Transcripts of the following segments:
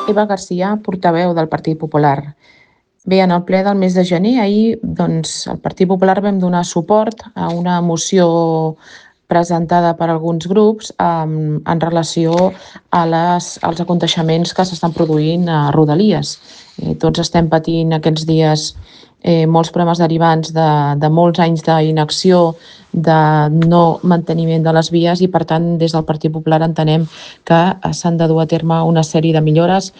Eva García, portaveu del Partit Popular. Bé, en el ple del mes de gener, ahir, el Partit Popular vam donar suport a una moció presentada per alguns grups en relació als aconteixements que s'estan produint a Rodalies. Tots estem patint aquests dies molts problemes derivants de molts anys d'inacció, de no manteniment de les vies i, per tant, des del Partit Popular entenem que s'han de dur a terme una sèrie de millores,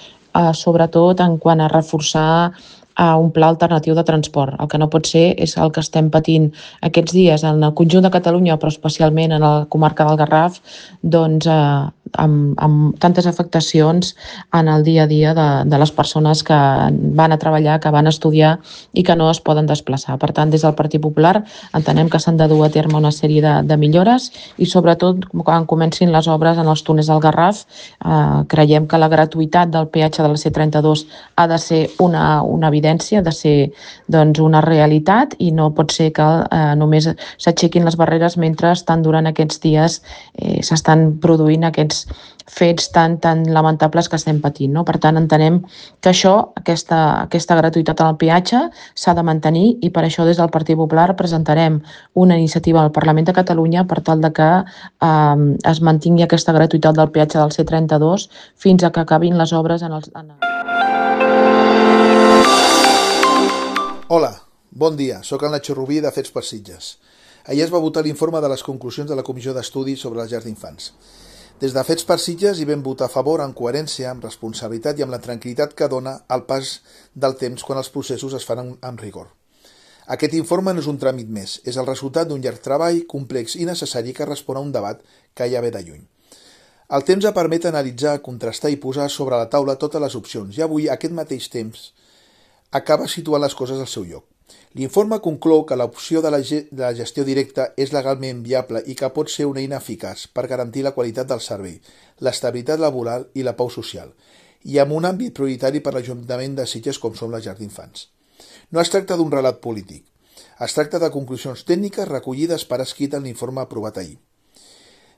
sobretot en quant a reforçar un pla alternatiu de transport. El que no pot ser és el que estem patint aquests dies en el conjunt de Catalunya, però especialment en la comarca del Garraf, amb tantes afectacions en el dia a dia de les persones que van a treballar, que van a estudiar i que no es poden desplaçar. Per tant, des del Partit Popular entenem que s'han de dur a terme una sèrie de millores i, sobretot, quan comencin les obres en els túnels del Garraf, creiem que la gratuïtat del peatge de la C32 ha de ser una evidència, ha de ser una realitat i no pot ser que només s'aixequin les barreres mentre estan durant aquests dies s'estan produint aquests fets tan lamentables que estem patint. Per tant, entenem que aquesta gratuïtat en el peatge s'ha de mantenir i per això des del Partit Popular presentarem una iniciativa al Parlament de Catalunya per tal de que es mantingui aquesta gratuïtat del peatge del C32 fins a que acabin les obres en els... Hola, bon dia, soc el Nacho Rubí de Fets per Sitges. Ahir es va votar l'informe de les conclusions de la Comissió d'Estudi sobre les llars d'infants. Des de Fets per Sitges hi vam votar a favor en coherència, amb responsabilitat i amb la tranquil·litat que dona el pas del temps quan els processos es fan amb rigor. Aquest informe no és un tràmit més, és el resultat d'un llarg treball, complex i necessari que respon a un debat que ja ve de lluny. El temps ha permet analitzar, contrastar i posar sobre la taula totes les opcions i avui aquest mateix temps acaba situant les coses al seu lloc. L'informe conclou que l'opció de la gestió directa és legalment viable i que pot ser una eina eficaç per garantir la qualitat del servei, l'estabilitat laboral i la pau social, i amb un àmbit prioritari per l'Ajuntament de Sitges com són les llars d'infants. No es tracta d'un relat polític, es tracta de conclusions tècniques recollides per escrit en l'informe aprovat ahir.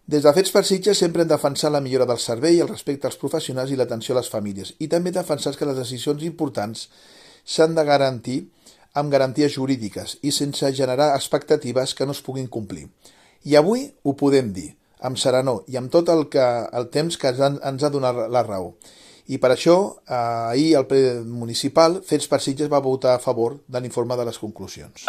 Des de Fets per Sitges sempre hem defensat la millora del servei, el respecte als professionals i l'atenció a les famílies, i també defensat que les decisions importants s'han de garantir amb garanties jurídiques i sense generar expectatives que no es puguin complir. I avui ho podem dir, amb serenor i amb tot el temps que ens ha donat la raó. I per això, ahir al ple municipal, Fets per Sitges va votar a favor de l'informe de les conclusions.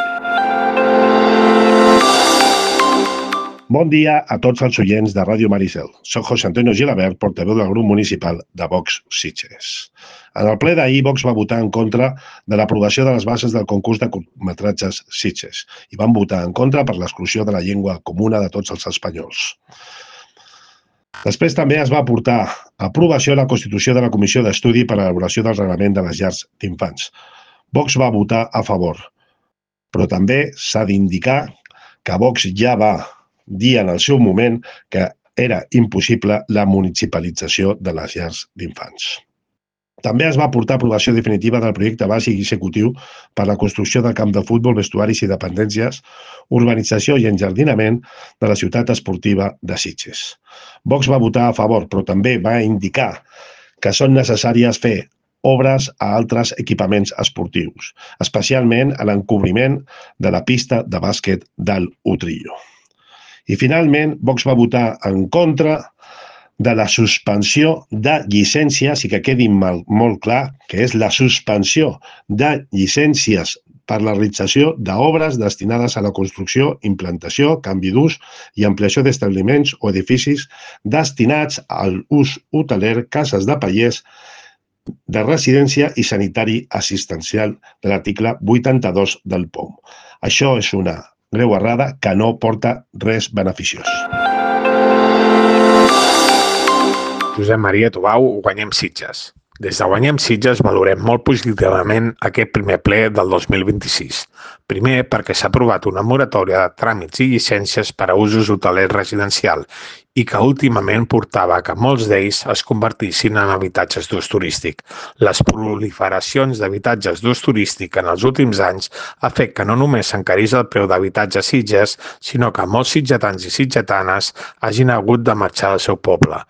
Bon dia a tots els oients de Ràdio Maricel. Soc José Antonio Gilabert, portaveu del grup municipal de Vox Sitges. En el ple d'ahir, Vox va votar en contra de l'aprovació de les bases del concurs de curtmetratges Sitges i van votar en contra per l'exclusió de la llengua comuna de tots els espanyols. Després també es va portar a aprovació la constitució de la Comissió d'Estudi per a l'elaboració del reglament de les llars d'infants. Vox va votar a favor, però també s'ha d'indicar que Vox ja va dir en el seu moment que era impossible la municipalització de les llars d'infants. També es va portar a aprovació definitiva del projecte bàsic i executiu per a la construcció del camp de futbol, vestuaris i dependències, urbanització i enjardinament de la ciutat esportiva de Sitges. Vox va votar a favor, però també va indicar que són necessàries fer obres a altres equipaments esportius, especialment a l'encobriment de la pista de bàsquet del Utrillo. I finalment, Vox va votar en contra de la suspensió de llicències, i que quedi molt clar que és la suspensió de llicències per la realització d'obres destinades a la construcció, implantació, canvi d'ús i ampliació d'establiments o edificis destinats al ús hoteler, cases de pallers, de residència i sanitari assistencial de l'article 82 del POM. Això és una greu errada que no porta res beneficiós. Josep Maria Tubau, Guanyem Sitges. Des de Guanyem Sitges valorem molt positivament aquest primer ple del 2026. Primer, perquè s'ha aprovat una moratòria de tràmits i llicències per a usos hotelers residencial i que últimament portava que molts d'ells es convertissin en habitatges d'ús turístic. Les proliferacions d'habitatges d'ús turístic en els últims anys ha fet que no només s'encarís el preu d'habitatge a Sitges, sinó que molts sitgetans i sitgetanes hagin hagut de marxar del seu poble.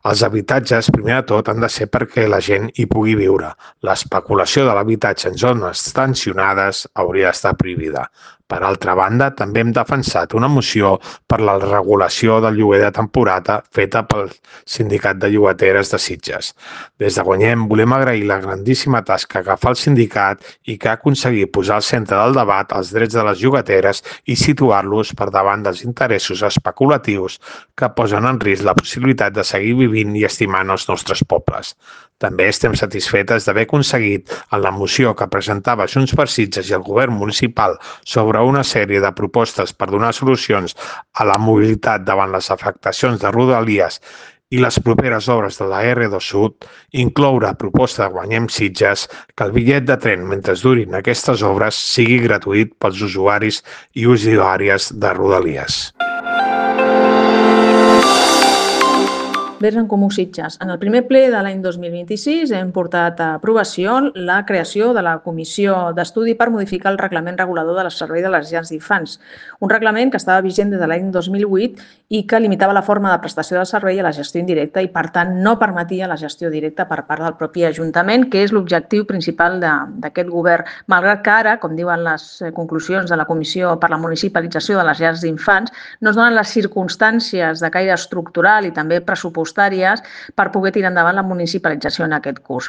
Els habitatges, primer de tot, han de ser perquè la gent hi pugui viure. L'especulació de l'habitatge en zones tensionades hauria d'estar prohibida. Per altra banda, també hem defensat una moció per la regulació del lloguer de temporada feta pel Sindicat de Llogateres de Sitges. Des de Guanyem volem agrair la grandíssima tasca que fa el sindicat i que ha aconseguit posar al centre del debat els drets de les llogateres i situar-los per davant dels interessos especulatius que posen en risc la possibilitat de seguir vivint i estimant els nostres pobles. També estem satisfetes d'haver aconseguit en la moció que presentava Junts per Sitges i el govern municipal sobre una sèrie de propostes per donar solucions a la mobilitat davant les afectacions de Rodalies i les properes obres de la R2 Sud, incloure a proposta de Guanyem Sitges que el bitllet de tren mentre durin aquestes obres sigui gratuït pels usuaris i usuàries de Rodalies. Verds en Comú Sitges. En el primer ple de l'any 2026 hem portat a aprovació la creació de la Comissió d'Estudi per modificar el reglament regulador del servei de les llars d'infants, un reglament que estava vigent des de l'any 2008 i que limitava la forma de prestació del servei a la gestió indirecta i, per tant, no permetia la gestió directa per part del propi Ajuntament, que és l'objectiu principal d'aquest govern, malgrat que ara, com diuen les conclusions de la Comissió per la Municipalització de les Llars d'Infants, no es donen les circumstàncies de caire estructural i també pressupostàries per poder tirar endavant la municipalització en aquest curs.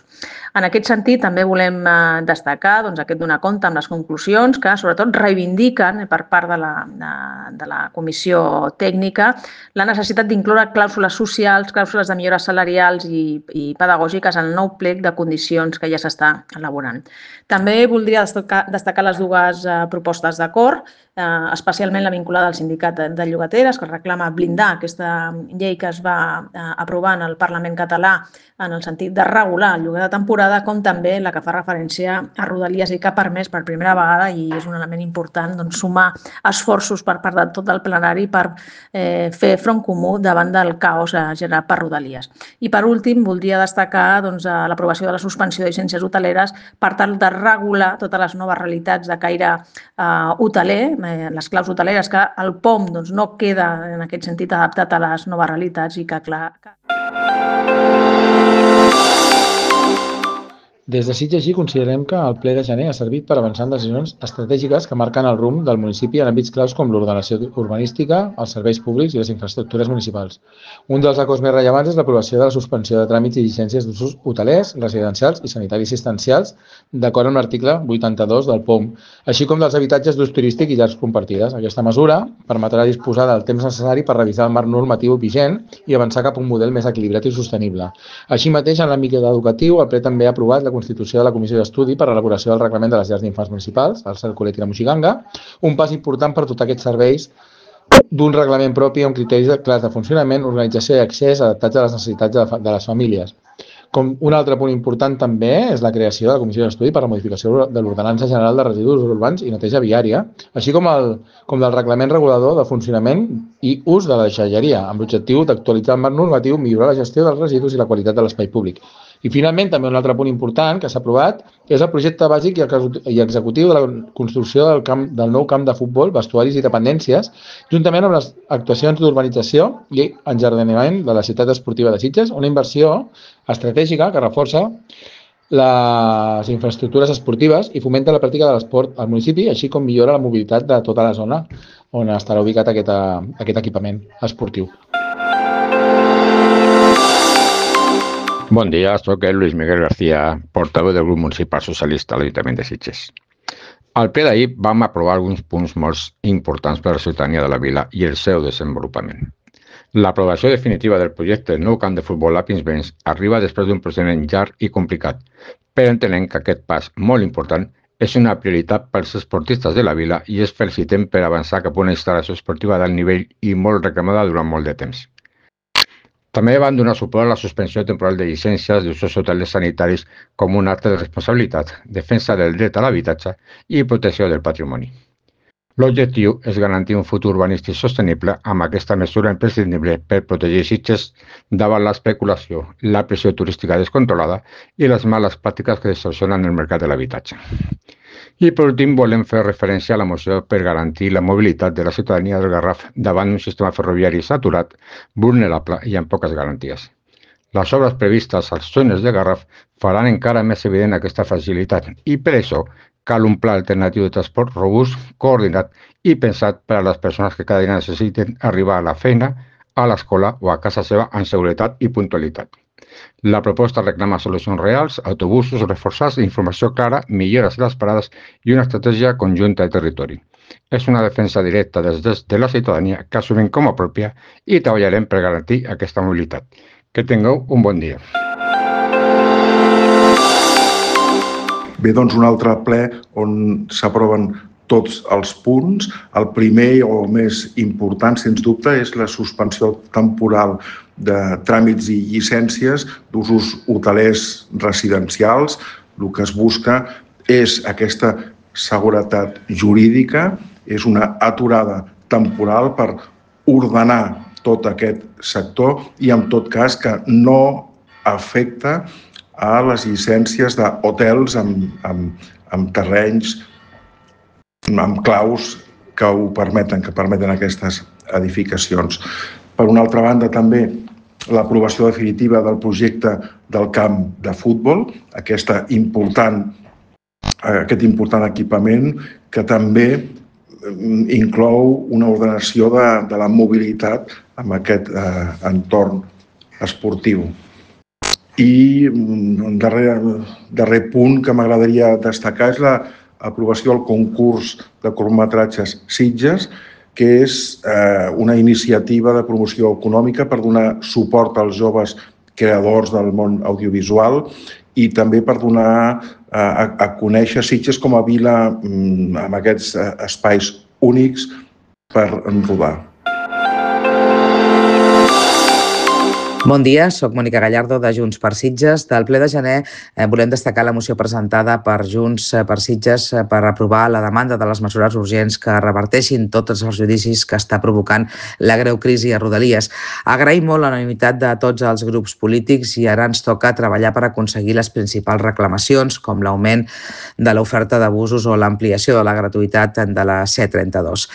En aquest sentit, també volem destacar aquest donar compte amb les conclusions que, sobretot, reivindiquen per part de la comissió tècnica la necessitat d'incloure clàusules socials, clàusules de millores salarials i pedagògiques en el nou plec de condicions que ja s'està elaborant. També voldria destacar les dues propostes d'acord, especialment la vinculada al Sindicat de Llogateres, que reclama blindar aquesta llei que es va aprovar en el Parlament català en el sentit de regular el lloguer de temporada, com també la que fa referència a Rodalies i que ha permès per primera vegada, i és un element important, sumar esforços per part de tot el plenari per fer front comú davant del caos generat per Rodalies. I per últim, voldria destacar l'aprovació de la suspensió de llicències hoteleres per tal de regular totes les noves realitats de caire hoteler, les claus hoteleres, que el POM no queda en aquest sentit adaptat a les noves realitats i que, clar... Des de Sitges considerem que el ple de gener ha servit per avançar en decisions estratègiques que marquen el rumb del municipi en àmbits claus com l'ordenació urbanística, els serveis públics i les infraestructures municipals. Un dels acords més rellevants és l'aprovació de la suspensió de tràmits i llicències d'usos hotelers, residencials i sanitaris assistencials, d'acord amb l'article 82 del POM, així com dels habitatges d'ús turístic i llars compartides. Aquesta mesura permetrà disposar del temps necessari per revisar el marc normatiu vigent i avançar cap a un model més equilibrat i sostenible. Així mateix, en l'àmbit educatiu, el ple també ha aprovat la constitució de la Comissió d'Estudi per a l'elaboració del reglament de les llars d'infants municipals, el Cercolet i la Moixiganga, un pas important per dotar aquests serveis d'un reglament propi amb criteris clars de funcionament, organització i accés adaptats a les necessitats de les famílies. Com un altre punt important també és la creació de la Comissió d'Estudi per a la modificació de l'Ordenança General de Residus Urbans i Neteja Viària, així com del reglament regulador de funcionament i ús de la deixalleria, amb l'objectiu d'actualitzar el marc normatiu, millorar la gestió dels residus i la qualitat de l'espai públic. I finalment, també un altre punt important que s'ha aprovat és el projecte bàsic i executiu de la construcció del nou camp de futbol, vestuaris i dependències, juntament amb les actuacions d'urbanització i enjardinament de la ciutat esportiva de Sitges, una inversió estratègica que reforça les infraestructures esportives i fomenta la pràctica de l'esport al municipi, així com millora la mobilitat de tota la zona on estarà ubicat aquest equipament esportiu. Bon dia, soc el Luis Miguel García, portaveu del grup municipal socialista a l'Ajuntament de Sitges. Al ple d'ahir vam aprovar alguns punts molt importants per a la ciutadania de la vila i el seu desenvolupament. L'aprovació definitiva del projecte del nou camp de futbol a Pinsbens arriba després d'un procediment llarg i complicat, però entenem que aquest pas molt important és una prioritat pels esportistes de la vila i es felicitem per avançar cap a una instal·lació esportiva d'alt nivell i molt reclamada durant molt de temps. També van donar suport a la suspensió temporal de llicències d'usos hotelers sanitaris com un acte de responsabilitat, defensa del dret a l'habitatge i protecció del patrimoni. L'objectiu és garantir un futur urbanístic sostenible amb aquesta mesura imprescindible per protegir Sitges davant l'especulació, la pressió turística descontrolada i les males pràctiques que distorsionen el mercat de l'habitatge. I per últim volem fer referència a la moció per garantir la mobilitat de la ciutadania del Garraf davant un sistema ferroviari saturat, vulnerable i amb poques garanties. Les obres previstes als túnels de Garraf faran encara més evident aquesta fragilitat i per això cal un pla alternatiu de transport robust, coordinat i pensat per a les persones que cada dia necessiten arribar a la feina, a l'escola o a casa seva amb seguretat i puntualitat. La proposta reclama solucions reals, autobusos reforçats, informació clara, millores a les parades i una estratègia conjunta de territori. És una defensa directa des de la ciutadania que assumim com a pròpia i treballarem per garantir aquesta mobilitat. Que tingueu un bon dia. Bé, doncs un altre ple on s'aproven tots els punts. El primer o més important, sens dubte, és la suspensió temporal de tràmits i llicències d'usos hotelers residencials. El que es busca és aquesta seguretat jurídica, és una aturada temporal per ordenar tot aquest sector i, en tot cas, que no afecta a les llicències d'hotels amb terrenys, amb claus que ho permeten, que permeten aquestes edificacions. Per una altra banda, també l'aprovació definitiva del projecte del camp de futbol, aquest important equipament que també inclou una ordenació de la mobilitat en aquest entorn esportiu. I un darrer punt que m'agradaria destacar és l'aprovació del concurs de curtmetratges Sitges, que és una iniciativa de promoció econòmica per donar suport als joves creadors del món audiovisual i també per donar a conèixer Sitges com a vila amb aquests espais únics per rodar. Bon dia, soc Mònica Gallardo de Junts per Sitges. Del ple de gener volem destacar la moció presentada per Junts per Sitges per aprovar la demanda de les mesures urgents que reverteixin tots els judicis que està provocant la greu crisi a Rodalies. Agraïm molt l'unanimitat de tots els grups polítics i ara ens toca treballar per aconseguir les principals reclamacions, com l'augment de l'oferta d'abusos o l'ampliació de la gratuïtat de la C32.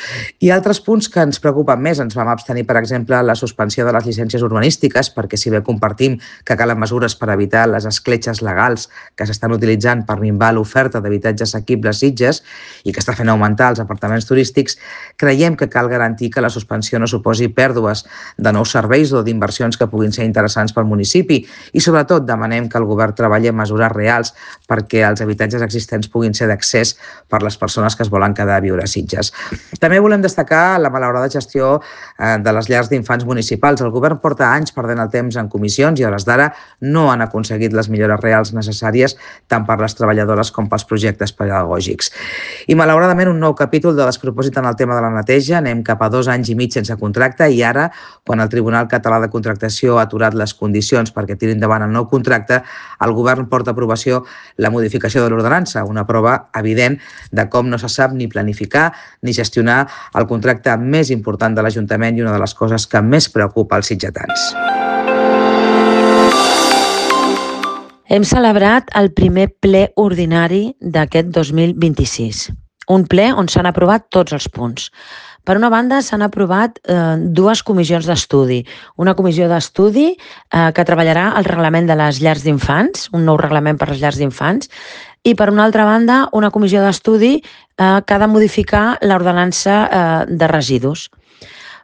I altres punts que ens preocupen més. Ens vam abstenir, per exemple, la suspensió de les llicències urbanístiques, perquè si bé compartim que calen mesures per evitar les escletxes legals que s'estan utilitzant per minvar l'oferta d'habitatges assequibles Sitges i que està fent augmentar els apartaments turístics, creiem que cal garantir que la suspensió no suposi pèrdues de nous serveis o d'inversions que puguin ser interessants pel municipi i, sobretot, demanem que el govern treballi en mesures reals perquè els habitatges existents puguin ser d'accés per les persones que es volen quedar a viure a Sitges. També volem destacar la malaurada gestió de les llars d'infants municipals. El govern porta anys perdent el temps en comissions i a hores d'ara no han aconseguit les millores reals necessàries tant per les treballadores com pels projectes pedagògics. I malauradament un nou capítol de despropòsit en el tema de la neteja. Anem cap a 2 anys i mig sense contracte i ara, quan el Tribunal Català de Contractació ha aturat les condicions perquè tiri endavant el nou contracte, el govern porta a aprovació la modificació de l'ordenança, una prova evident de com no se sap ni planificar ni gestionar el contracte més important de l'Ajuntament i una de les coses que més preocupa als sitgetans. Hem celebrat el primer ple ordinari d'aquest 2026, un ple on s'han aprovat tots els punts. Per una banda, s'han aprovat 2 comissions d'estudi. Una comissió d'estudi que treballarà el reglament de les llars d'infants, un nou reglament per les llars d'infants, i per una altra banda, una comissió d'estudi que ha de modificar l'ordenança de residus.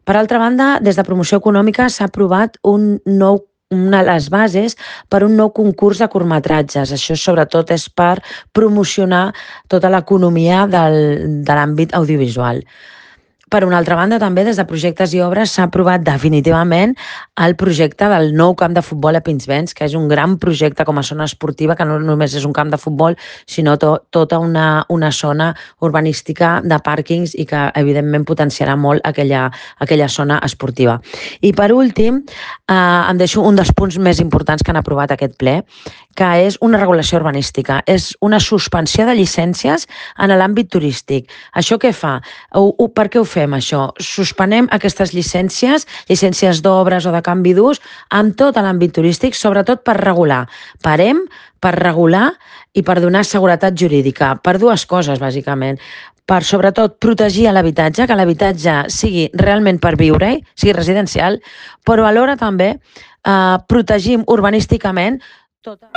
Per altra banda, des de Promoció Econòmica s'ha aprovat una de les bases per un nou concurs de curtmetratges. Això sobretot és per promocionar tota l'economia de l'àmbit audiovisual. Per una altra banda, també des de Projectes i Obres s'ha aprovat definitivament el projecte del nou camp de futbol a Pinsbens, que és un gran projecte com a zona esportiva, que no només és un camp de futbol, sinó tota una zona urbanística de pàrquings i que, evidentment, potenciarà molt aquella zona esportiva. I, per últim, em deixo un dels punts més importants que han aprovat aquest ple, que és una regulació urbanística. És una suspensió de llicències en l'àmbit turístic. Això què fa? Per què ho fem, això? Suspenem aquestes llicències d'obres o de canvi d'ús amb tot l'àmbit turístic, sobretot per regular. Parem per regular i per donar seguretat jurídica, per 2 coses, bàsicament. Per, sobretot, protegir l'habitatge, que l'habitatge sigui realment per viure-hi, sigui residencial, però alhora també protegim urbanísticament tota...